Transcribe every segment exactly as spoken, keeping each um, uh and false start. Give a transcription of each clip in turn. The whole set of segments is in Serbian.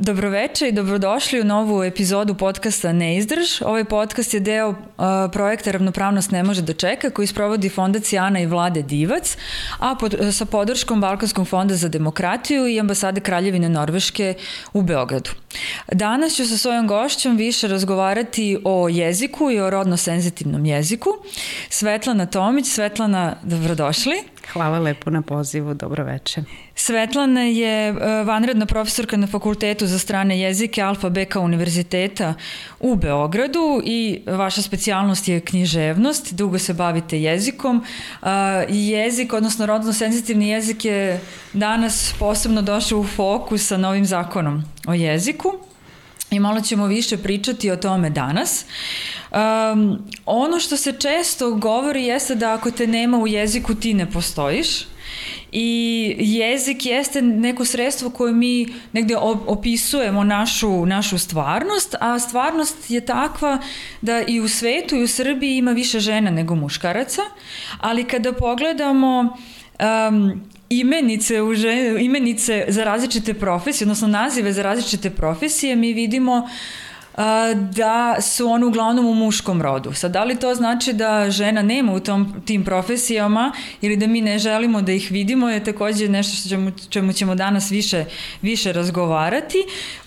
Dobroveče i dobrodošli u novu epizodu podcasta Neizdrž. Ovaj podcast je deo uh, projekta Ravnopravnost ne može da čeka, koji sprovodi Fondacija Ana i Vlade Divac, a pod, sa podrškom Balkanskog fonda za demokratiju i ambasade Kraljevine Norveške u Beogradu. Danas ću sa svojom gošćom više razgovarati o jeziku i o rodno senzitivnom jeziku. Svetlana Tomić. Svetlana, dobrodošli. Hvala lepo na pozivu, dobroveče. Svetlana je vanredna profesorka na Fakultetu za strane jezike Alfa Beka univerziteta u Beogradu i vaša specijalnost je književnost, dugo se bavite jezikom. Jezik, odnosno rodno senzitivni jezik je danas posebno došao u fokus sa novim zakonom o jeziku. I malo ćemo više pričati o tome danas. Um, ono što se često govori jeste da ako te nema u jeziku ti ne postojiš. I jezik jeste neko sredstvo koje mi negde opisujemo našu, našu stvarnost, a stvarnost je takva da i u svetu i u Srbiji ima više žena nego muškaraca, ali kada pogledamo um, imenice, u žen, imenice za različite profesije, odnosno nazive za različite profesije, mi vidimo a, da su one uglavnom u muškom rodu. Sad, da li to znači da žena nema u tom, tim profesijama ili da mi ne želimo da ih vidimo je takođe nešto što ćemo, čemu ćemo danas više, više razgovarati.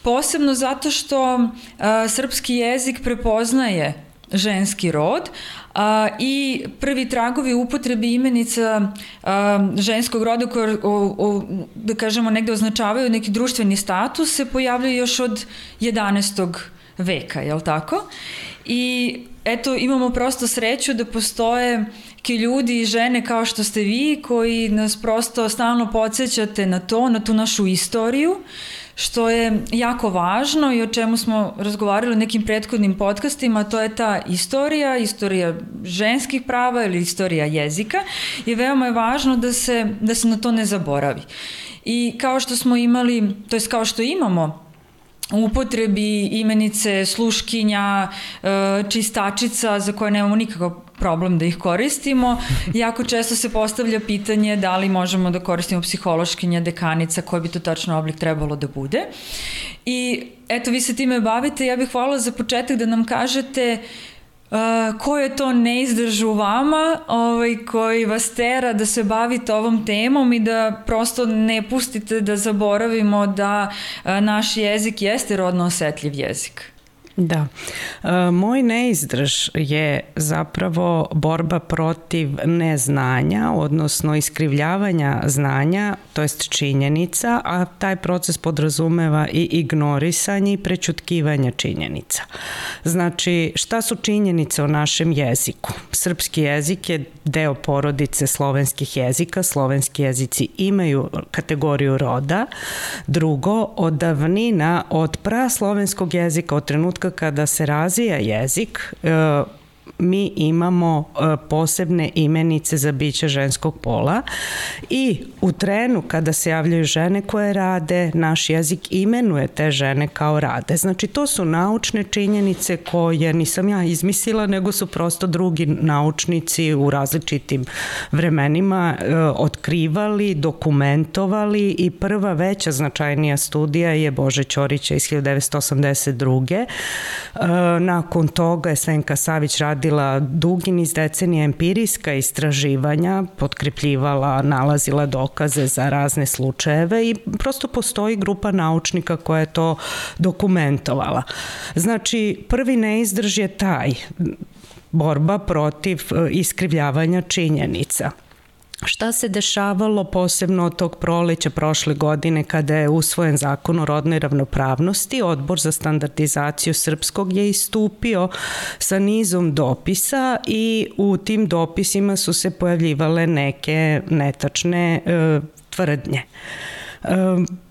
Posebno zato što a, srpski jezik prepoznaje ženski rod, a, i prvi tragovi upotrebi imenica a, ženskog roda koje, o, o, da kažemo, negde označavaju neki društveni status se pojavljaju još od jedanaestog veka, jel tako? I eto, imamo prosto sreću da postoje ki ljudi i žene kao što ste vi koji nas prosto stalno podsjećate na to, na tu našu istoriju, što je jako važno i o čemu smo razgovarali u nekim prethodnim podcastima, to je ta istorija, istorija ženskih prava ili istorija jezika i veoma je važno da se, da se na to ne zaboravi. I kao što smo imali, to jest kao što imamo u upotrebi imenice sluškinja, čistačica za koje nemamo nikakav problem da ih koristimo. Jako često se postavlja pitanje da li možemo da koristimo psihološkinja, dekanica, koji bi to tačno oblik trebalo da bude. I eto, vi se time bavite, ja bih voljela za početak da nam kažete Uh, ko je to neizdrž u vama ovaj, koji vas tera da se bavite ovom temom i da prosto ne pustite da zaboravimo da uh, naš jezik jeste rodno osetljiv jezik. Da. E, moj neizdrž je zapravo borba protiv neznanja, odnosno iskrivljavanja znanja, to jest činjenica, a taj proces podrazumeva i ignorisanje i prećutkivanje činjenica. Znači, šta su činjenice o našem jeziku? Srpski jezik je deo porodice slovenskih jezika, slovenski jezici imaju kategoriju roda. Drugo, od davnina, od praslovenskog jezika, od trenutka kada se razvija jezik, mi imamo posebne imenice za biće ženskog pola i u trenu kada se javljaju žene koje rade, naš jezik imenuje te žene kao rade. Znači, to su naučne činjenice koje nisam ja izmislila, nego su prosto drugi naučnici u različitim vremenima otkrivali, dokumentovali i prva veća značajnija studija je Bože Ćorića iz hiljadu devetsto osamdeset druge. Nakon toga je Svenka Savić radila dugi niz decenija empirijska istraživanja, potkrepljivala, nalazila dokaze za razne slučajeve i prosto postoji grupa naučnika koja je to dokumentovala. Znači, prvi neizdrž je taj, borba protiv iskrivljavanja činjenica. Šta se dešavalo posebno od tog proleća prošle godine kada je usvojen zakon o rodnoj ravnopravnosti? Odbor za standardizaciju srpskog je istupio sa nizom dopisa i u tim dopisima su se pojavljivale neke netačne e, tvrdnje. E,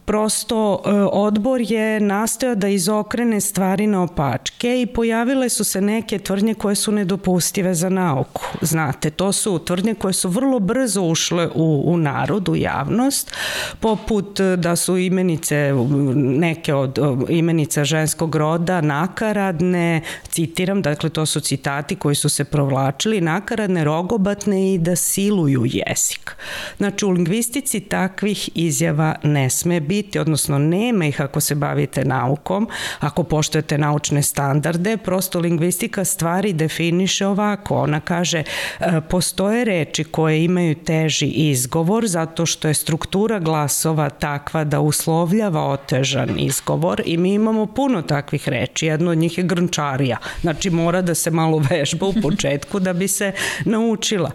Prosto odbor je nastojao da izokrene stvari na opačke i pojavile su se neke tvrdnje koje su nedopustive za nauku. Znate, to su tvrdnje koje su vrlo brzo ušle u, u narod, u javnost, poput da su imenice, neke od imenica ženskog roda nakaradne, citiram, dakle to su citati koji su se provlačili, nakaradne, rogobatne i da siluju jezik. Znači, u lingvistici takvih izjava ne sme biti biti, odnosno nema ih ako se bavite naukom, ako poštujete naučne standarde. Prosto lingvistika stvari definiše ovako. Ona kaže, postoje reči koje imaju teži izgovor zato što je struktura glasova takva da uslovljava otežan izgovor i mi imamo puno takvih reči. Jedno od njih je grnčarija. Znači mora da se malo vežba u početku da bi se naučila.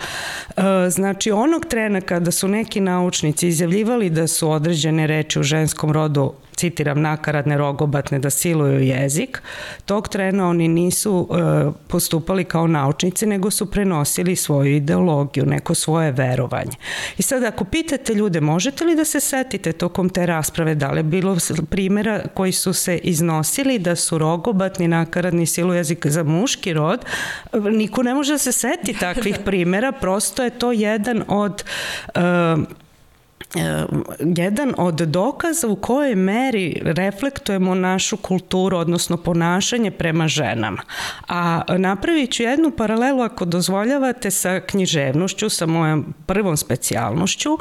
Znači onog trena kada su neki naučnici izjavljivali da su određene reči u ženskom rodu, citiram, nakaradne, rogobatne, da siluju jezik, tog trena oni nisu e, postupali kao naučnici, nego su prenosili svoju ideologiju, neko svoje verovanje. I sad ako pitate ljude, možete li da se setite tokom te rasprave, da li je bilo primjera koji su se iznosili da su rogobatni, nakaradni, siluju jezik za muški rod, niko ne može da se seti takvih primjera, prosto je to jedan od e, jedan od dokaza u kojoj meri reflektujemo našu kulturu, odnosno ponašanje prema ženama. A napravit ću jednu paralelu, ako dozvoljavate, sa književnošću, sa mojom prvom specijalnošću,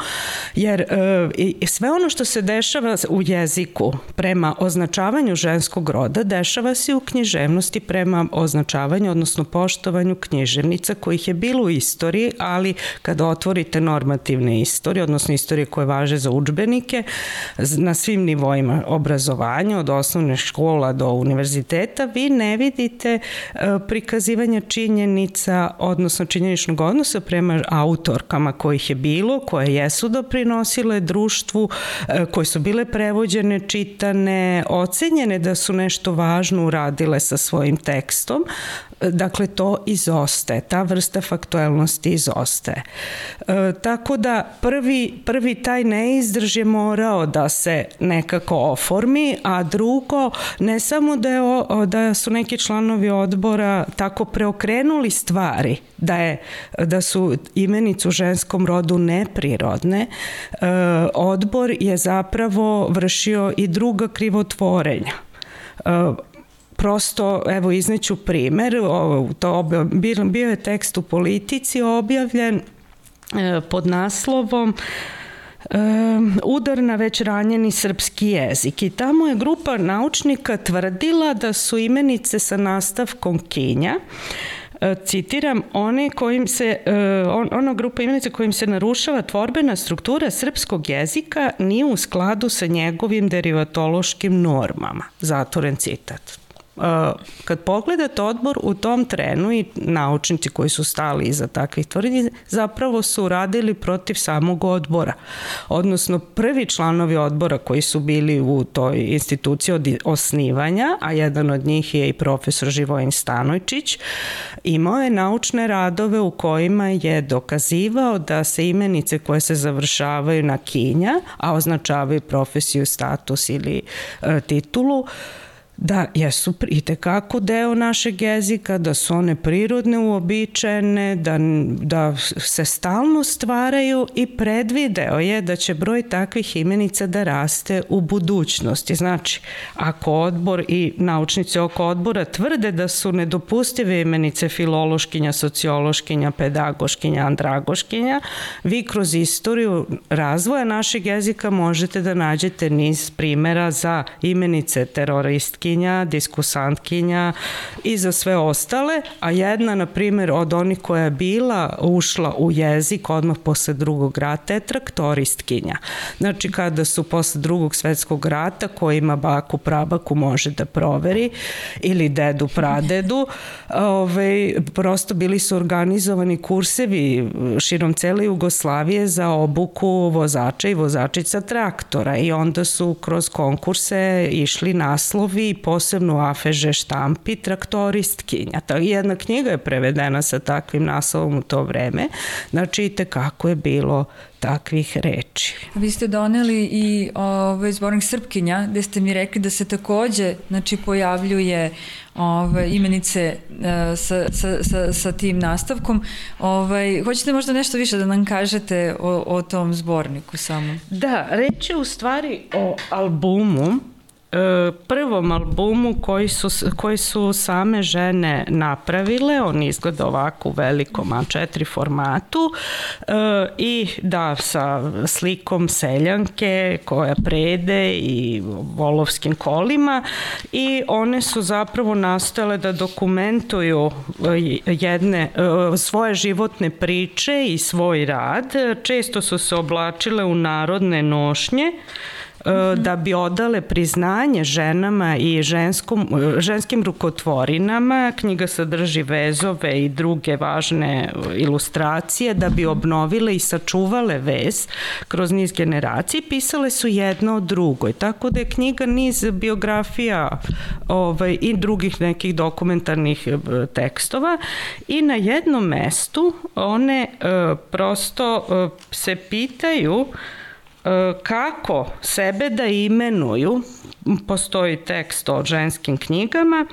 jer e, sve ono što se dešava u jeziku prema označavanju ženskog roda, dešava se u književnosti prema označavanju, odnosno poštovanju književnica, kojih je bilo u istoriji, ali kada otvorite normativne istorije, odnosno istorije koje važe za udžbenike na svim nivoima obrazovanja, od osnovne škola do univerziteta, vi ne vidite prikazivanje činjenica, odnosno činjeničnog odnosa prema autorkama kojih je bilo, koje jesu doprinosile društvu, koje su bile prevođene, čitane, ocenjene da su nešto važno uradile sa svojim tekstom. Dakle, to izostaje, ta vrsta faktuelnosti izostaje. E, tako da prvi, prvi taj neizdrž je morao da se nekako oformi, a drugo, ne samo da, je, da su neki članovi odbora tako preokrenuli stvari, da, je, da su imenice u ženskom rodu neprirodne, e, odbor je zapravo vršio i druga krivotvorenja. E, Prosto, evo, izneću primer, to bio je tekst u Politici objavljen pod naslovom Udar na već ranjeni srpski jezik. I tamo je grupa naučnika tvrdila da su imenice sa nastavkom kinja, citiram, one kojim se, on, ona grupa imenica kojim se narušava tvorbena struktura srpskog jezika nije u skladu sa njegovim derivatološkim normama. Zatvoren citat. Kad pogledate odbor u tom trenu i naučnici koji su stali iza takvih tvrdnji zapravo su radili protiv samog odbora. Odnosno prvi članovi odbora koji su bili u toj instituciji od osnivanja, a jedan od njih je i profesor Živojin Stanojčić, imao je naučne radove u kojima je dokazivao da se imenice koje se završavaju na kinja, a označavaju profesiju, status ili e, titulu, da jesu itekako deo našeg jezika, da su one prirodne, uobičajene, da, da se stalno stvaraju i predvideo je da će broj takvih imenica da raste u budućnosti. Znači, ako odbor i naučnici oko odbora tvrde da su nedopustive imenice filološkinja, sociološkinja, pedagoškinja, andragoškinja, vi kroz istoriju razvoja našeg jezika možete da nađete niz primjera za imenice teroristkinja, diskusantkinja i za sve ostale, a jedna, na primjer, od onih koja je bila ušla u jezik odmah posle drugog rata je traktoristkinja. Znači, kada su posle drugog svetskog rata, ko ima baku, prabaku, može da proveri, ili dedu, pradedu, ove, prosto bili su organizovani kursevi širom cele Jugoslavije za obuku vozača i vozačica traktora i onda su kroz konkurse išli naslovi, posebno u A F Ž štampi, traktoristkinja. Jedna knjiga je prevedena sa takvim naslovom u to vreme. Znači, i tekako je bilo takvih reči. Vi ste doneli i ovaj zbornik Srpkinja, gde ste mi rekli da se takođe, znači, pojavljuje ove imenice uh, sa, sa, sa, sa tim nastavkom. Ovaj, hoćete možda nešto više da nam kažete o, o tom zborniku samo? Da, reč je u stvari o albumu prvom albumu koji su, koji su same žene napravile. On izgleda ovako u velikom A četiri formatu i da, sa slikom seljanke koja prede i volovskim kolima, i one su zapravo nastojale da dokumentuju jedne svoje životne priče i svoj rad. Često su se oblačile u narodne nošnje da bi odale priznanje ženama i ženskom, ženskim rukotvorinama. Knjiga sadrži vezove i druge važne ilustracije da bi obnovile i sačuvale vez kroz niz generacija. Pisale su jedno o drugoj, tako da je knjiga niz biografija ovaj, i drugih nekih dokumentarnih tekstova, i na jednom mestu one uh, prosto uh, se pitaju kako sebe da imenuju. Postoji tekst o ženskim knjigama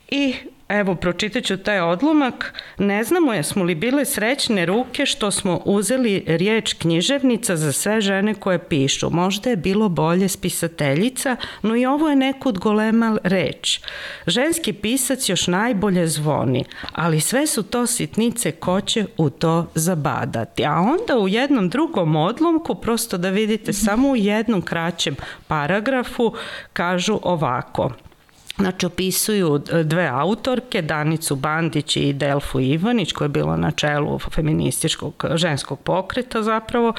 i evo, pročitat ću taj odlomak. Ne znamo jesmo li bile srećne ruke što smo uzeli riječ književnica za sve žene koje pišu. Možda je bilo bolje spisateljica, no i ovo je nekud golema reč. Ženski pisac još najbolje zvoni, ali sve su to sitnice ko će u to zabadati. A onda u jednom drugom odlomku, prosto da vidite, samo u jednom kraćem paragrafu, kažu ovako. Znači, opisuju dve autorke, Danicu Bandić i Delfu Ivanić, koja je bila na čelu feminističkog ženskog pokreta zapravo,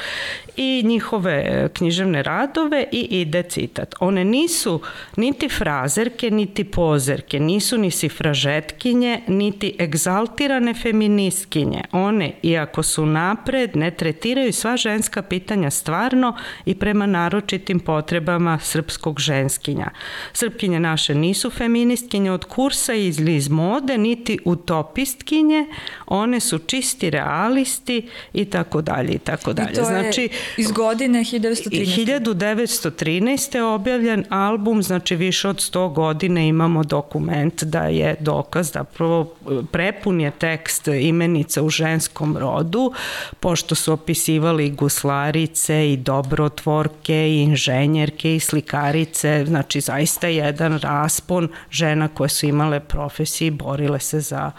i njihove književne radove, i ide citat. One nisu niti frazerke, niti pozerke, nisu ni sifražetkinje, niti egzaltirane feministkinje. One, iako su napred, ne tretiraju sva ženska pitanja stvarno i prema naročitim potrebama srpskog ženskinja. Srpkinje naše nisu feministkinje od kursa ili iz mode, niti utopistkinje, one su čisti realisti i tako dalje i tako dalje. I to znači, je iz godine hiljadu devetsto trinaeste. hiljadu devetsto trinaeste je objavljen album, znači više od sto godina imamo dokument da je dokaz, da prvo prepun je tekst imenica u ženskom rodu, pošto su opisivali i guslarice i dobrotvorke i inženjerke i slikarice, znači zaista jedan raspon žena koje su imale profesije i borile se za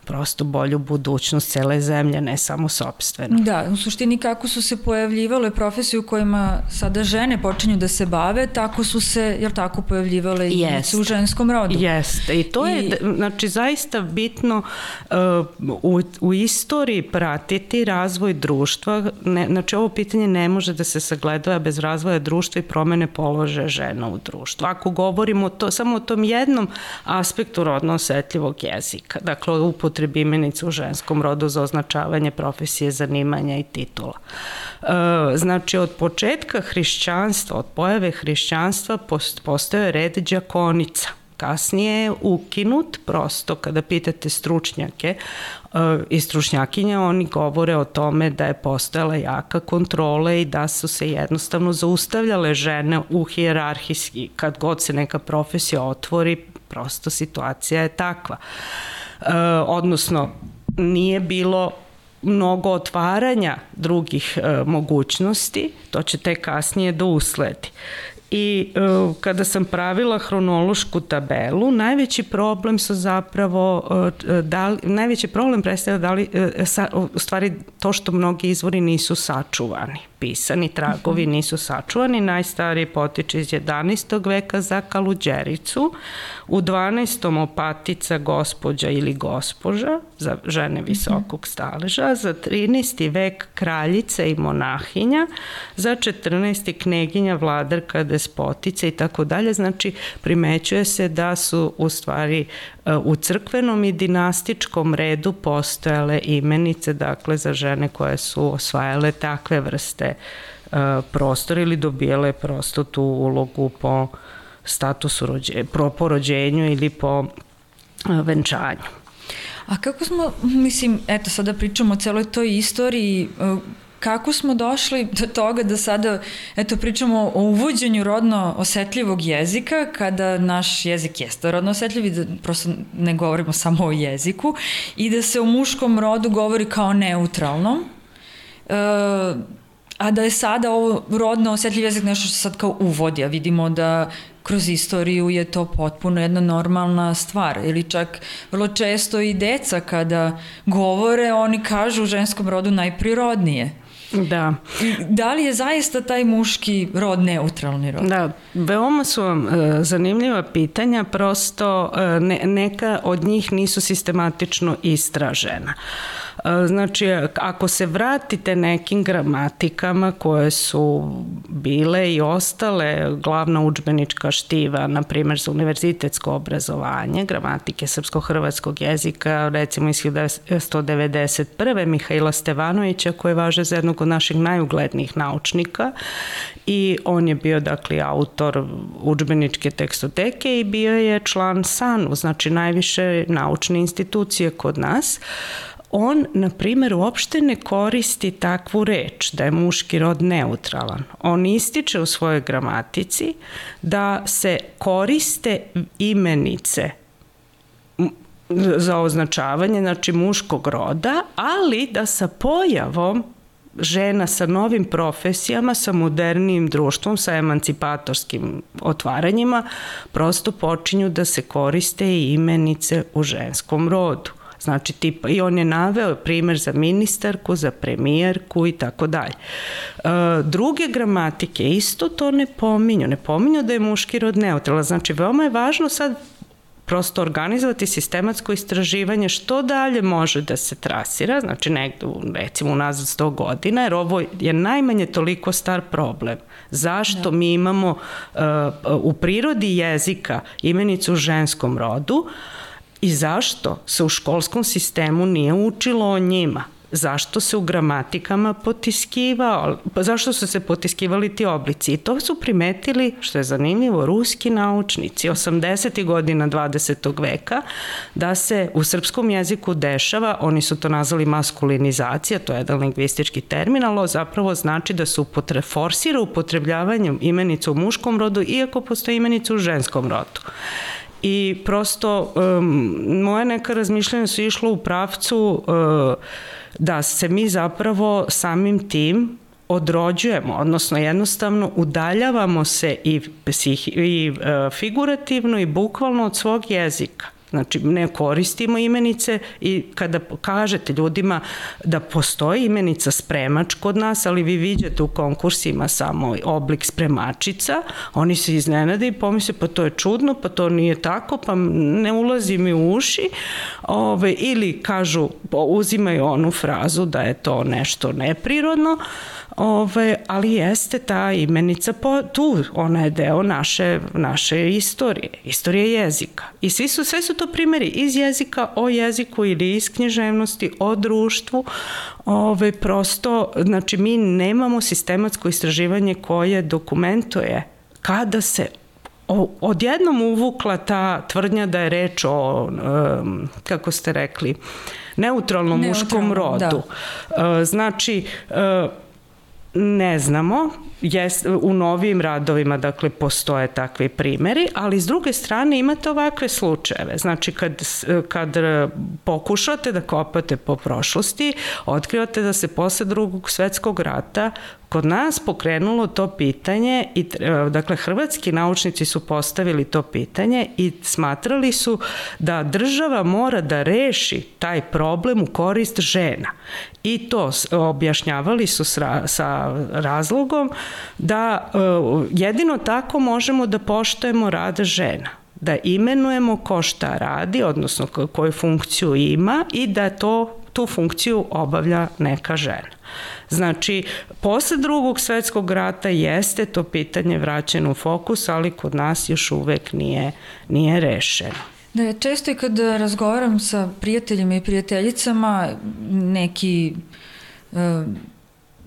prosto bolju budućnost cele zemlje, ne samo sopstveno. Da, u suštini kako su se pojavljivale profesije u kojima sada žene počinju da se bave, tako su se, jer tako, pojavljivale i yes. u ženskom rodu. Jeste, i to I... je, znači, zaista bitno uh, u, u istoriji pratiti razvoj društva. Ne, znači, ovo pitanje ne može da se sagledava bez razvoja društva i promene položaja žena u društvu. Ako govorimo to, samo o tom jednom aspektu rodno osetljivog jezika, dakle, upotrebi imenica u ženskom rodu za označavanje profesije, zanimanja i titula. Znači, od početka hrišćanstva, od pojave hrišćanstva postojao je red đakonica. Kasnije je ukinut, prosto kada pitate stručnjake i stručnjakinje, oni govore o tome da je postojala jaka kontrola i da su se jednostavno zaustavljale žene u hijerarhijski. Kad god se neka profesija otvori, prosto situacija je takva. Odnosno, nije bilo mnogo otvaranja drugih mogućnosti, to će tek kasnije da usledi. I uh, kada sam pravila hronološku tabelu, najveći problem su zapravo, uh, da li, najveći problem predstavlja da li, uh, sa, u stvari to što mnogi izvori nisu sačuvani. Pisani tragovi nisu sačuvani. Najstariji potiče iz jedanaestog veka za Kaluđericu, u dvanaestom Opatica gospođa ili gospoža za žene visokog staleža, za trinaesti vek kraljica i monahinja, za četrnaesti kneginja, vladarka, despotica i tako dalje. Znači, primećuje se da su u stvari u crkvenom i dinastičkom redu postojale imenice, dakle, za žene koje su osvajale takve vrste prostora ili dobijale prosto tu ulogu po statusu rođenja, po rođenju ili po venčanju. A kako smo, mislim, eto, sada pričamo o celoj toj istoriji, kako smo došli do toga da sada, eto, pričamo o uvođenju rodno osetljivog jezika, kada naš jezik jeste rodno osetljiv i da prosto ne govorimo samo o jeziku i da se o muškom rodu govori kao neutralnom, e, a da je sada ovo rodno osetljiv jezik nešto što sad kao uvodi, a vidimo da kroz istoriju je to potpuno jedna normalna stvar. Ili čak vrlo često i deca kada govore, oni kažu u ženskom rodu najprirodnije. Da. Da li je zaista taj muški rod neutralni rod? Da, veoma su vam e, zanimljiva pitanja, prosto e, ne, neka od njih nisu sistematično istražena. E, znači, ako se vratite nekim gramatikama koje su bile i ostale glavna udžbenička štiva, na primjer za univerzitetsko obrazovanje, gramatike srpsko-hrvatskog jezika, recimo iz hiljadu devetsto devedeset prve. Mihaila Stevanovića, koji važe za jednog od naših najuglednijih naučnika, i on je bio, dakle, autor udžbeničke tekstoteke i bio je član S A N U, znači najviše naučne institucije kod nas. On, na primjer, uopšte ne koristi takvu reč da je muški rod neutralan. On ističe u svojoj gramatici da se koriste imenice za označavanje, znači muškog roda, ali da sa pojavom žena sa novim profesijama, sa modernijim društvom, sa emancipatorskim otvaranjima, prosto počinju da se koriste i imenice u ženskom rodu. Znači, tipa, i on je naveo primjer za ministarku, za premijerku i tako dalje. Druge gramatike isto to ne pominju. Ne pominju da je muški rod neutralan. Znači, veoma je važno sad prosto organizovati sistematsko istraživanje što dalje može da se trasira, znači negde, recimo, unazad sto godina, jer ovo je najmanje toliko star problem. Zašto mi imamo uh, u prirodi jezika imenicu u ženskom rodu i zašto se u školskom sistemu nije učilo o njima? Zašto se u gramatikama potiskivao, zašto su se potiskivali ti oblici? I to su primetili, što je zanimljivo, ruski naučnici osamdesetih godina dvadesetog veka, da se u srpskom jeziku dešava, oni su to nazvali maskulinizacija, to je jedan lingvistički termin, ali zapravo znači da se upotre, forsira upotrebljavanjem imenica u muškom rodu, iako postoji imenica u ženskom rodu. I prosto um, moje neka razmišljanja su išlo u pravcu uh, da se mi zapravo samim tim odrođujemo, odnosno jednostavno udaljavamo se i, i uh, figurativno i bukvalno od svog jezika. Znači, ne koristimo imenice i kada kažete ljudima da postoji imenica spremač kod nas, ali vi viđate u konkursima samo oblik spremačica, oni se iznenade i pomisle, pa to je čudno, pa to nije tako, pa ne ulazi mi u uši, ove, ili kažu, uzimaju onu frazu da je to nešto neprirodno, Ove, ali jeste ta imenica po, tu, ona je deo naše, naše istorije, istorije jezika. I svi su, sve su to primjeri iz jezika, o jeziku ili iz književnosti, o društvu. Ove, prosto, znači mi nemamo sistematsko istraživanje koje dokumentuje kada se odjednom uvukla ta tvrdnja da je reč o, um, kako ste rekli, neutralnom muškom rodu. Da. Znači, uh, ne znamo, jest, u novim radovima, dakle, postoje takvi primjeri, ali s druge strane imate ovakve slučajeve. Znači, kad, kad pokušate da kopate po prošlosti, otkrivate da se posle Drugog svetskog rata kod nas pokrenulo to pitanje i, dakle, hrvatski naučnici su postavili to pitanje i smatrali su da država mora da reši taj problem u korist žena. I to objašnjavali su sa, sa razlogom da uh, jedino tako možemo da poštujemo rad žena, da imenujemo ko šta radi, odnosno koju funkciju ima i da to, tu funkciju obavlja neka žena. Znači, posle Drugog svetskog rata jeste to pitanje vraćeno u fokus, ali kod nas još uvek nije, nije rešeno. Da, često i kad razgovaram sa prijateljima i prijateljicama, neki uh,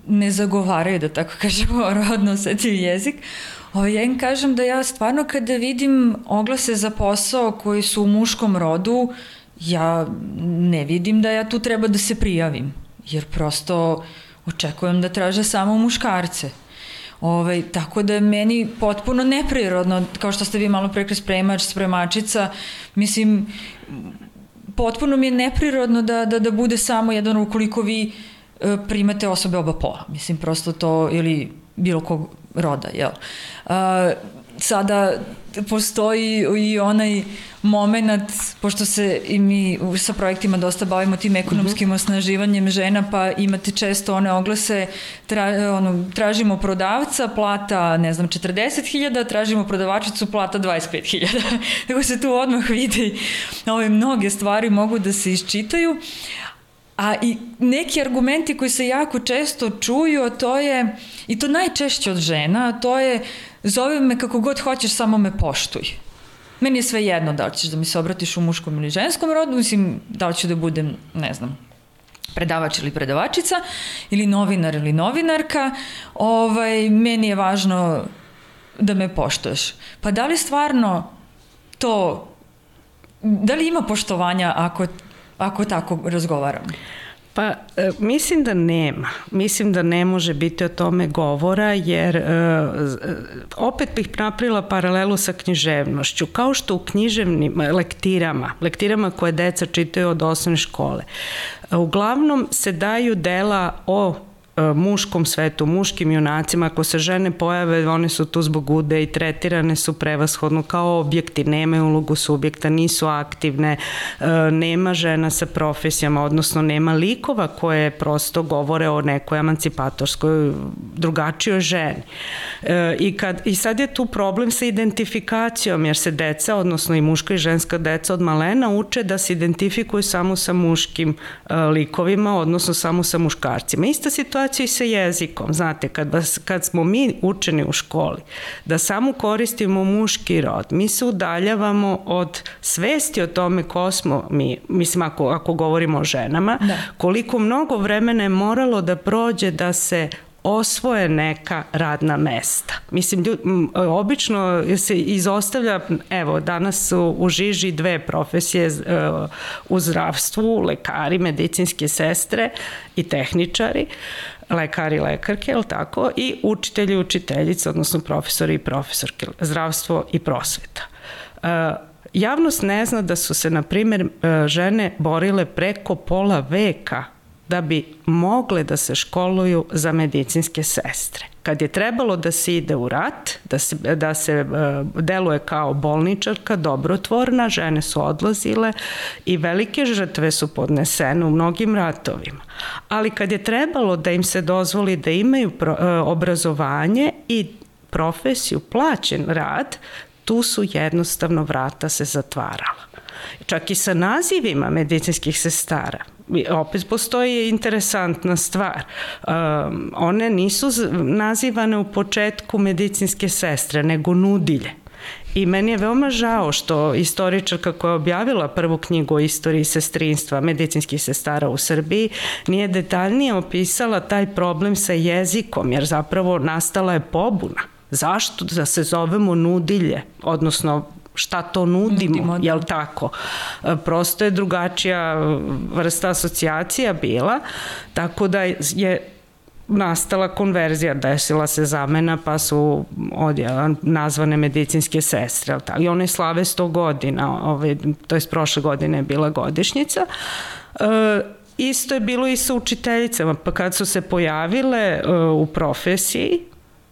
ne zagovaraju, da tako kažemo, rodno osetljiv jezik, o, ja im kažem da ja stvarno kada vidim oglase za posao koji su u muškom rodu, ja ne vidim da ja tu treba da se prijavim, jer prosto očekujem da traže samo muškarce. Ove, tako da je meni potpuno neprirodno, kao što ste vi malo prekli spremač, spremačica, mislim, potpuno mi je neprirodno da, da, da bude samo jedan, ukoliko vi e, primate osobe oba pola, mislim, prosto to, ili bilo kog roda, jel? E, sada postoji i onaj moment, pošto se i mi sa projektima dosta bavimo tim ekonomskim mm-hmm. osnaživanjem žena, pa imate često one oglase, tra, ono, tražimo prodavca, plata, ne znam, četrdeset hiljada, tražimo prodavačicu, plata dvadeset pet hiljada. Tako se tu odmah vidi, ove mnoge stvari mogu da se iščitaju. A i neki argumenti koji se jako često čuju, a to je, i to najčešće od žena, a to je zove me kako god hoćeš, samo me poštuj. Meni je sve jedno da li ćeš da mi se obratiš u muškom ili ženskom rodu, mislim da li ću da budem, ne znam, predavač ili predavačica, ili novinar ili novinarka, ovaj, meni je važno da me poštuješ. Pa da li stvarno to, da li ima poštovanja ako ako tako razgovaram? Pa e, mislim da nema. Mislim da ne može biti o tome govora, jer e, opet bih napravila paralelu sa književnošću. Kao što u književnim lektirama, lektirama koje deca čitaju od osnovne škole, uglavnom se daju dela o muškom svetu, muškim junacima. Ako se žene pojave, one su tu zbog ude i tretirane su prevashodno kao objekti, nemaju ulogu subjekta, nisu aktivne, nema žena sa profesijama, odnosno nema likova koje prosto govore o nekoj emancipatorskoj drugačijoj ženi. I, kad, i sad je tu problem sa identifikacijom, jer se deca, odnosno i muška i ženska deca od malena uče da se identifikuju samo sa muškim likovima, odnosno samo sa muškarcima. Ista situacija i sa jezikom. Znate, kad, vas, kad smo mi učeni u školi da samo koristimo muški rod, mi se udaljavamo od svesti o tome ko smo mi, mislim ako, ako govorimo o ženama, da. Koliko mnogo vremena je moralo da prođe da se osvoje neka radna mesta. Mislim, ljud, obično se izostavlja, evo, danas su u žiži dve profesije u zdravstvu, lekari, medicinske sestre i tehničari, lekari i lekarke, je li tako, i učitelji i učiteljice, odnosno profesori i profesorke, zdravstvo i prosveta. Javnost ne zna da su se, na primjer, žene borile preko pola veka da bi mogle da se školuju za medicinske sestre. Kad je trebalo da se ide u rat, da se, da se deluje kao bolničarka, dobrotvorna, žene su odlazile i velike žrtve su podnesene u mnogim ratovima. Ali kad je trebalo da im se dozvoli da imaju obrazovanje i profesiju, plaćen rad, tu su jednostavno vrata se zatvarala. Čak i sa nazivima medicinskih sestara. Opet postoji interesantna stvar. Um, one nisu nazivane u početku medicinske sestre, nego nudilje. I meni je veoma žao što istoričarka koja je objavila prvu knjigu o istoriji sestrinstva medicinskih sestara u Srbiji nije detaljnije opisala taj problem sa jezikom, jer zapravo nastala je pobuna. Zašto da se zovemo nudilje, odnosno šta to nudimo, nudimo jel tako? Prosto je drugačija vrsta asocijacija bila, tako da je nastala konverzija, desila se zamena, pa su odjela nazvane medicinske sestre. I one slave sto godina, ovaj, to je prošle godine je bila godišnjica. E, isto je bilo i sa učiteljicama, pa kad su se pojavile e, u profesiji,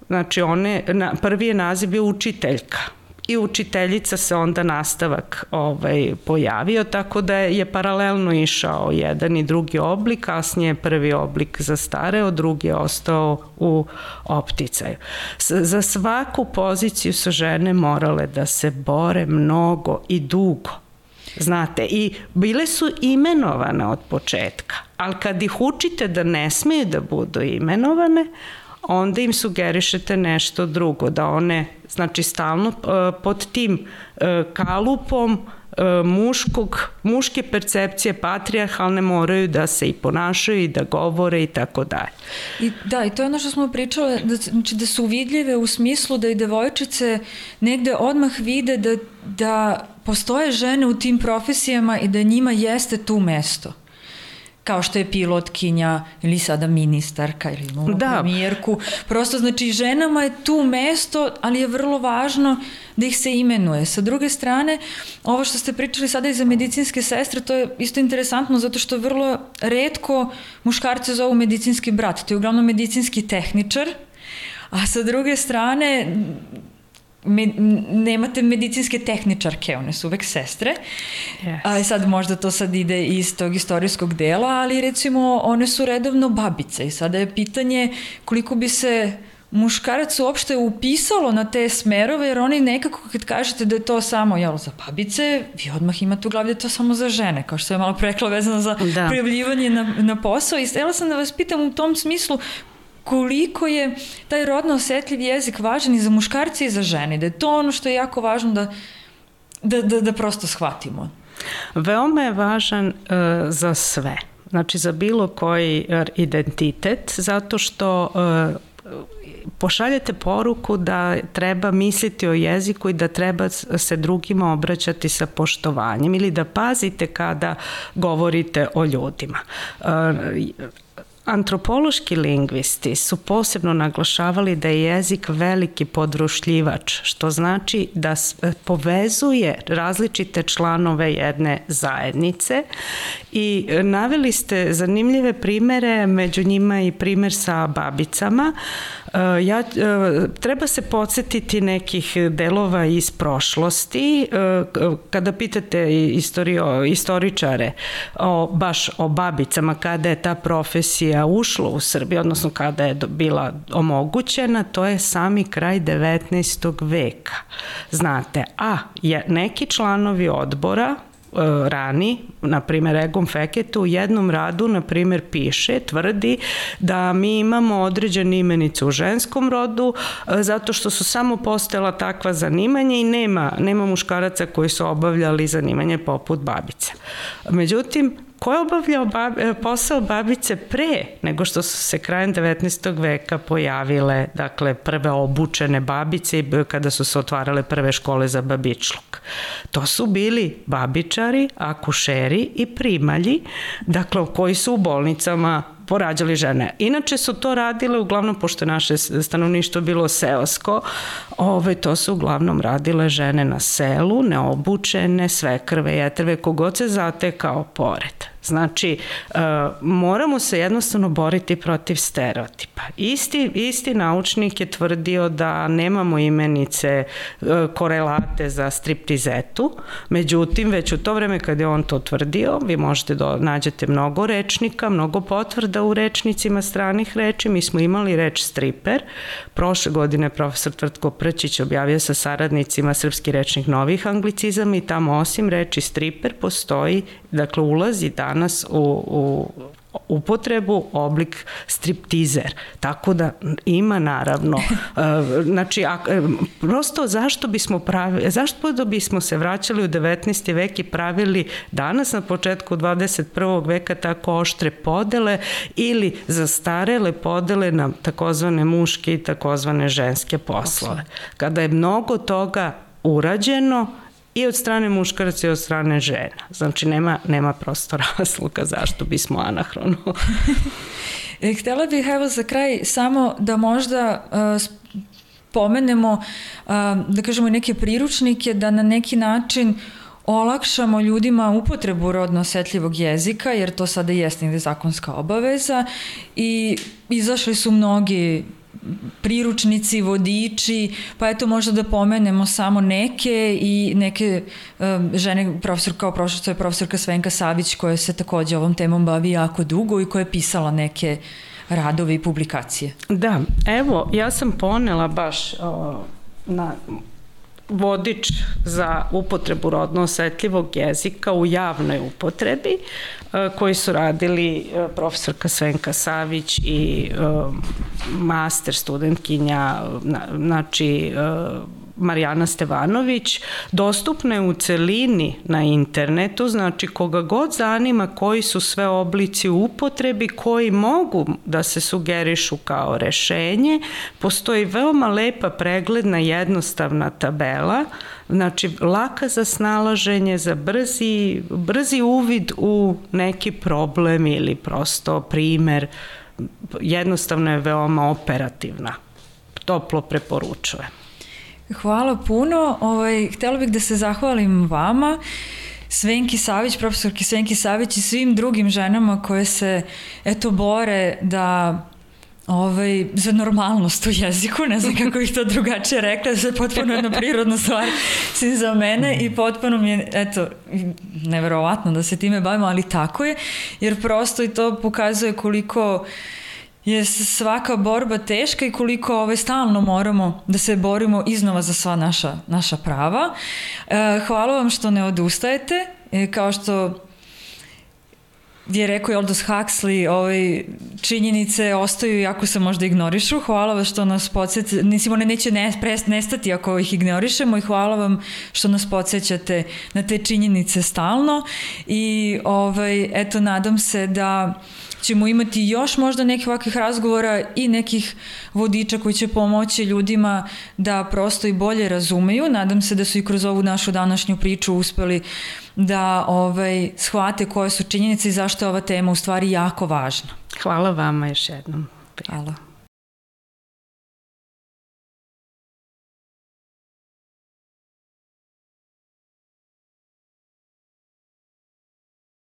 znači one, na, prvi je naziv bio učiteljka. I učiteljica se onda nastavak ovaj, pojavio, tako da je paralelno išao jedan i drugi oblik, kasnije je prvi oblik zastareo, drugi je ostao u opticaju. S, za svaku poziciju su žene morale da se bore mnogo i dugo. Znate, i bile su imenovane od početka, ali kad ih učite da ne smeju da budu imenovane, onda im sugerišete nešto drugo, da one, znači, stalno pod tim kalupom muškog, muške percepcije patrijarhalne moraju da se i ponašaju i da govore i tako dalje. I da, i to je ono što smo pričale, da, znači da su vidljive u smislu da i devojčice negde odmah vide da, da postoje žene u tim profesijama i da njima jeste tu mesto. Kao što je pilotkinja ili sada ministarka ili imamo da. premijerku. Prosto, znači, ženama je tu mesto, ali je vrlo važno da ih se imenuje. Sa druge strane, ovo što ste pričali sada i za medicinske sestre, to je isto interesantno zato što vrlo retko muškarce zovu medicinski brat. To je uglavnom medicinski tehničar, a sa druge strane me, nemate medicinske tehničarke, one su uvek sestre, yes. A sad možda to sad ide iz tog istorijskog dela, ali recimo one su redovno babice i sada je pitanje koliko bi se muškarac uopšte upisalo na te smerove, jer oni nekako kad kažete da je to samo jel, za babice, vi odmah imate u glavi da je to samo za žene, kao što je malo prekla vezano za da. prijavljivanje na, na posao. I htjela sam da vas pitam u tom smislu koliko je taj rodno osetljiv jezik važan i za muškarce i za žene, da je to ono što je jako važno da, da, da, da prosto shvatimo. Veoma je važan uh, za sve, znači za bilo koji identitet, zato što uh, pošaljete poruku da treba misliti o jeziku i da treba se drugima obraćati sa poštovanjem ili da pazite kada govorite o ljudima. Antropološki lingvisti su posebno naglašavali da je jezik veliki podrušljivač, što znači da povezuje različite članove jedne zajednice i naveli ste zanimljive primere, među njima i primer sa babicama. Ja, treba se podsjetiti nekih delova iz prošlosti. Kada pitate istorio, istoričare o, baš o babicama, kada je ta profesija ušla u Srbiju, odnosno kada je bila omogućena, to je sami kraj devetnaestog veka. Znate, a je, neki članovi odbora rani, na primjer Egon Fekete u jednom radu, na primjer piše, tvrdi da mi imamo određene imenice u ženskom rodu zato što su samo postojala takva zanimanja i nema, nema muškaraca koji su obavljali zanimanje poput babica. Međutim, ko je obavljao posao babice pre nego što su se krajem devetnaestog veka pojavile, dakle, prve obučene babice i kada su se otvarale prve škole za babičluk? To su bili babičari, akušeri i primalji, dakle, koji su u bolnicama porađali žene. Inače su to radile uglavnom, pošto naše stanovništvo bilo seosko, ove, to su uglavnom radile žene na selu, neobučene, svekrve, jetrve, kogod se zatekao pored. Znači, uh, moramo se jednostavno boriti protiv stereotipa. Isti, isti naučnik je tvrdio da nemamo imenice uh, korelate za striptizetu, međutim, već u to vreme kad je on to tvrdio, vi možete da nađete mnogo rečnika, mnogo potvrda u rečnicima stranih reči. Mi smo imali reč striper. Prošle godine profesor Tvrtko Prćić objavio sa saradnicima Srpski rečnik novih anglicizama i tamo osim reči striper postoji, dakle, ulazi danas u, u upotrebu oblik striptizer. Tako da ima naravno. Znači, a, prosto zašto bismo pravili, zašto da bismo se vraćali u devetnaesti vek i pravili danas na početku dvadeset prvog veka tako oštre podele ili zastarele podele na takozvane muške i takozvane ženske poslove. Kada je mnogo toga urađeno i od strane muškaraca i od strane žena. Znači, nema, nema prosto razloga zašto bismo anahrono. Htjela bih, evo, za kraj samo da možda uh, pomenemo, uh, da kažemo, neke priručnike, da na neki način olakšamo ljudima upotrebu rodno osetljivog jezika, jer to sada jeste negde zakonska obaveza i izašli su mnogi priručnici, vodiči, pa eto možda da pomenemo samo neke i neke um, žene, profesor, kao prošlo je profesorka Svenka Savić koja se takođe ovom temom bavi jako dugo i koja je pisala neke radove i publikacije. Da, evo, ja sam ponela baš o, na vodič za upotrebu rodno osetljivog jezika u javnoj upotrebi koji su radili profesorka Svenka Savić i master studentkinja, znači Marijana Stevanović. Dostupna je u celini na internetu, znači koga god zanima koji su sve oblici u upotrebi koji mogu da se sugerišu kao rešenje. Postoji veoma lepa pregledna jednostavna tabela, znači laka za snalaženje, za brzi, brzi uvid u neki problem ili prosto primer. Jednostavno je veoma operativna. Toplo preporučujem. Hvala puno. Ovaj, htjela bih da se zahvalim vama, Svenki Savić, profesorki Svenki Savić i svim drugim ženama koje se eto bore da ovaj, za normalnost u jeziku, ne znam kako bih to drugačije rekla, da je potpuno jedna prirodna stvar si za mene i potpuno mi je, eto, neverovatno da se time bavimo, ali tako je, jer prosto i to pokazuje koliko je svaka borba teška i koliko ovaj, stalno moramo da se borimo iznova za sva naša, naša prava. E, hvala vam što ne odustajete, e, kao što je rekao Aldous Huxley, ovaj, činjenice ostaju iako se možda ignorišu. Hvala vam što nas podsjećate, mislim, one neće ne, prest, nestati ako ih ignorišemo i hvala vam što nas podsjećate na te činjenice stalno i ovaj, eto, nadam se da ćemo imati još možda nekih ovakvih razgovora i nekih vodiča koji će pomoći ljudima da prosto i bolje razumeju. Nadam se da su i kroz ovu našu današnju priču uspeli da ovaj, shvate koje su činjenice i zašto je ova tema u stvari jako važna. Hvala vama još jednom. Hvala.